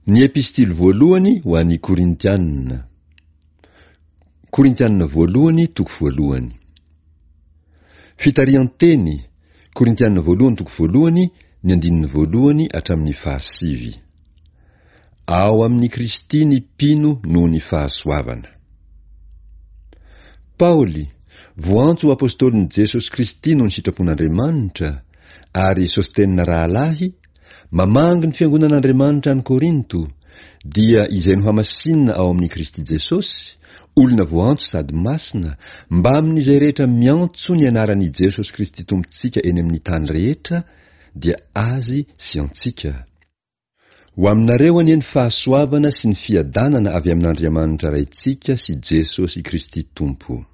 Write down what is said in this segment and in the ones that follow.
Ny Epistily voalohany ho an'ny Korintiana. Korintiana voalohany toko voalohany. Fitarihan-teny, Korintiana voalohany toko voalohany ny andininy voalohany hatramin'ny fahasivy. Ao amin'i Kristy ny mpino noho ny fahasoavana. Paoly, voantso ho apostolin'i Jesosy Kristy noho ny sitrapon'Andriamanitra, ary Sostena rahalahy, mamangy ny fiangonan'Andriamanitra any Korinto, dia izay nohamasinina ao amin'i Kristy Jesosy, olona voantso sady masina, mbamin'izay rehetra miantso ny anaran'i Jesosy Kristy Tompontsika eny amin'ny tany rehetra, dia Azy sy antsika. Ho aminareo anie ny fahasoavana sy ny fiadanana avy amin'Andriamanitra Raintsika sy Jesosy Kristy Tompo.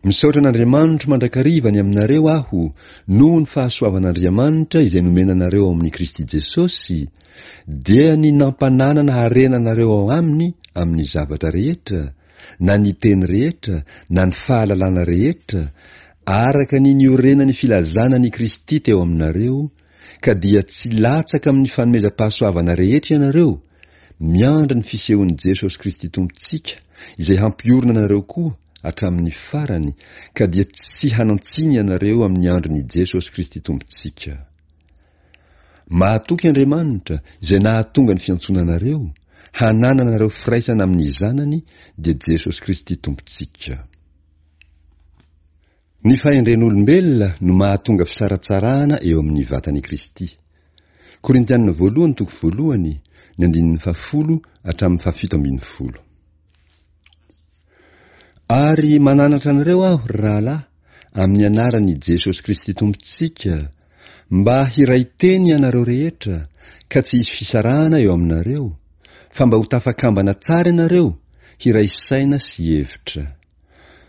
Misaotra an'Andriamanitro mandrakariva ny aminareo aho noho ny fahasoavan'Andriamanitra izay nomena anareo ao amin'i Kristy Jesosy, dia ny nampananana harena anareo ao aminy amin'ny zavatra rehetra, na ny teny rehetra, na ny fahalalana rehetra, araka ny niorenan'ny filazana an'i Kristy teo aminareo, ka dia tsy latsaka amin'ny fanomezam-pahasoavana rehetra ianareo, miandry ny fisehon'i Jesosy Kristy Tompontsika, izay hampiorina anareo koa hatramin'ny farany, ka dia tsy hanan-tsiny ianareo amin'ny andron'i Jesosy Kristy Tompontsika. Mahatoky Andriamanitra, izay nahatonga ny fiantsoana anareo, hanananareo firaisana amin'ny Zanany, dia Jesosy Kristy Tompontsika. Ny fahendren'olombelona no mahatonga fisaratsarahana eo amin'ny vatan'i Kristy. Korintiana voalohany toko voalohany, ny andininy fahafolo hatramin'ny fahafito ambinifolo. Ary mananatra anareo aho, ry rahalahy, amin'ny anaran'i Jesosy Kristy Tompontsika, mba hiray teny ianareo rehetra, ka tsy hisy fisarahana eo aminareo, fa mba ho tafakambana tsara ianareo, hiray saina sy hevitra.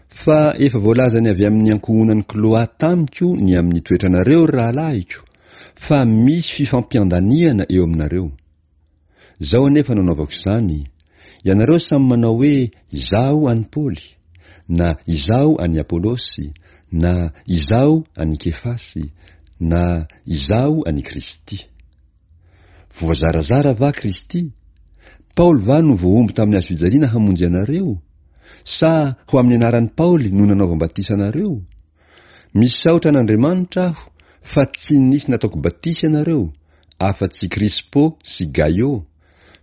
Fa efa voalazany avy amin'ny ankohonan'i Kloa tamiko ny amin'ny toetranareo, ry rahalahiko, fa misy fifampiandaniana eo aminareo. Izao anefa no anaovako izany, ianareo samy manao hoe, Izaho an'i Paoly, na Izaho an'i Apolosy, na Izaho an'i Kefasy, na Izaho an'i Kristy. Voazarazara va Kristy? Paoly va no voahombo tamin'ny hazo fijaliana hamonjy anareo? Sa ho amin'ny anaran'i Paoly no nanaovam-batisa anareo? Misaotra an'Andriamanitra aho fa tsy nisy nataoko batisa ianareo, afa-tsy Krispo sy Gaio,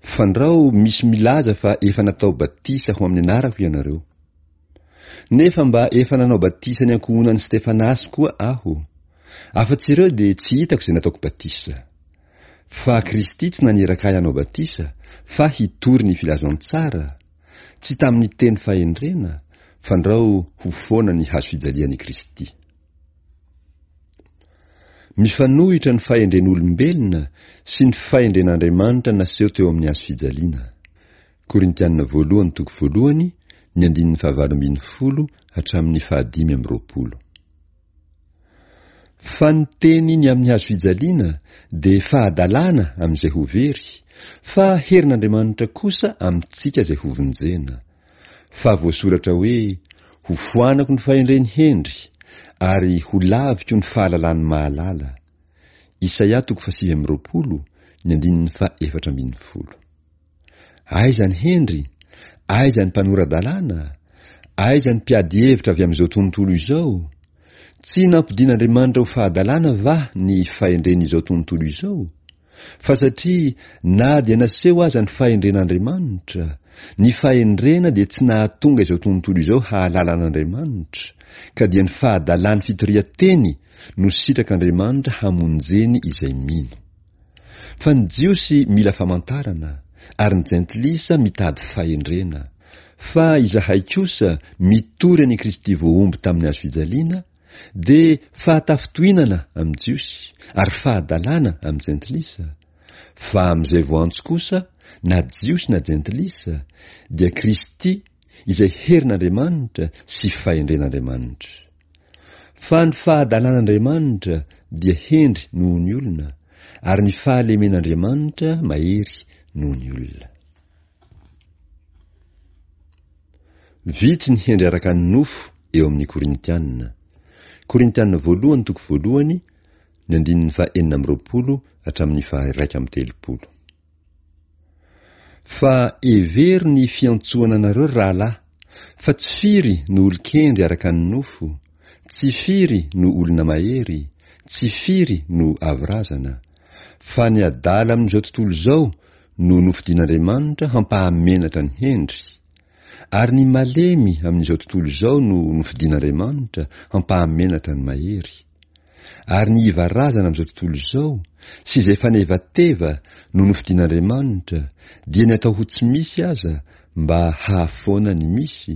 fandrao misy milaza fa efa natao batisa ho amin'ny anarako ianareo. Nefa mba efa nanao batisa ny ankohonan'i Stefanasy koa aho. Afa-tsy ireo dia tsy hitako izay nataoko batisa. Fa Kristy tsy naniraka ahy hanao batisa, fa hitory ny filazantsara, tsy tamin'ny teny fahendrena, fandrao ho foana ny hazo fijalian'i Kristy. Mifanohitra ny fahendren'olombelona sy ny fahendren'Andriamanitra naseho teo amin'ny hazo fijaliana. Korintiana voalohany toko voalohany, ny andininy fahavalo ambinifolo hatramin'ny fahadimy amby roapolo. Fa ny teny ny amin'ny hazo fijaliana dia fahadalana amin'izay ho very, fa herin'Andriamanitra kosa amintsika izay hovonjena. Fa voasoratra hoe, Hofoanako ny fahendren'ny hendry, ary holaviko ny fahalalan'ny mahalala. Isaia toko fahasivy amby roapolo, ny andininy faha efatra ambinifolo. Aiza ny hendry? Aiza ny mpanora-dalàna? Aiza ny mpiady hevitra avy amin'izao tontolo izao? Tsy nampodian'Andriamanitra ho fahadalana va ny fahendren'izao tontolo izao? Fa satria na dia naseho aza ny fahendren'Andriamanitra, ny fahendrena dia tsy nahatonga izao tontolo izao hahalala an'Andriamanitra, ka dia ny fahadalan'ny fitorian-teny no sitrak'Andriamanitra hamonjeny izay mino. Fa ny Jiosy mila famantarana, ary ny Jentilisa mitady fahendrena. Fa izahay kosa mitory an'i Kristy voahombo tamin'ny hazo fijaliana, dia fahatafintohinana amin'ny Jiosy, ary fahadalana amin'ny Jentilisa. Fa amin'izay voantso kosa, na Jiosy na Jentilisa, dia Kristy izay herin'Andriamanitra sy fahendren'Andriamanitra. Fa ny fahadalan'Andriamanitra dia hendry noho ny olona, ary ny fahalemen'Andriamanitra mahery noho ny olona. Vitsy ny hendry araka ny nofo eo amin'ny Korintiana. Korintiana voalohany toko voalohany, ny andininy faha 26 hatramin'ny faha 31. Fa hevero ny fiantsoana anareo ry rahalahy, fa tsy firy no olon-kendry araka ny nofo, tsy firy no olona mahery, tsy firy no avo razana. Fa ny adala amin'izao tontolo izao no nofidin'Andriamanitra hampahamenatra ny hendry, ary ny malemy amin'izao tontolo izao no nofidin'Andriamanitra hampahamenatra ny mahery. Ary ny iva razana amin'izao tontolo izao, sy izay fanevateva no nofidin'Andriamanitra, dia ny atao ho tsy misy aza mba hahafoana ny misy,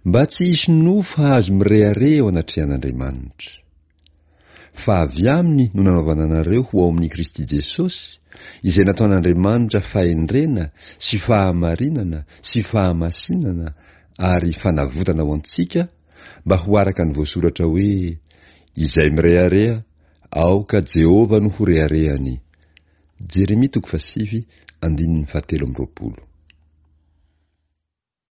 mba tsy hisy nofo hahazo mirehareha eo anatrehan'Andriamanitra. Fa avy aminy no nanaovana anareo ho ao amin'i Kristy Jesosy, izay nataon'Andriamanitra fahendrena sy fahamarinana sy fahamasinana ary fanavotana ho antsika, mba ho araka ny voasoratra hoe, Izay mirehareha, aoka Jehovah no ho reharehany. Jeremia toko fahasivy, andininy fahatelo amby roapolo.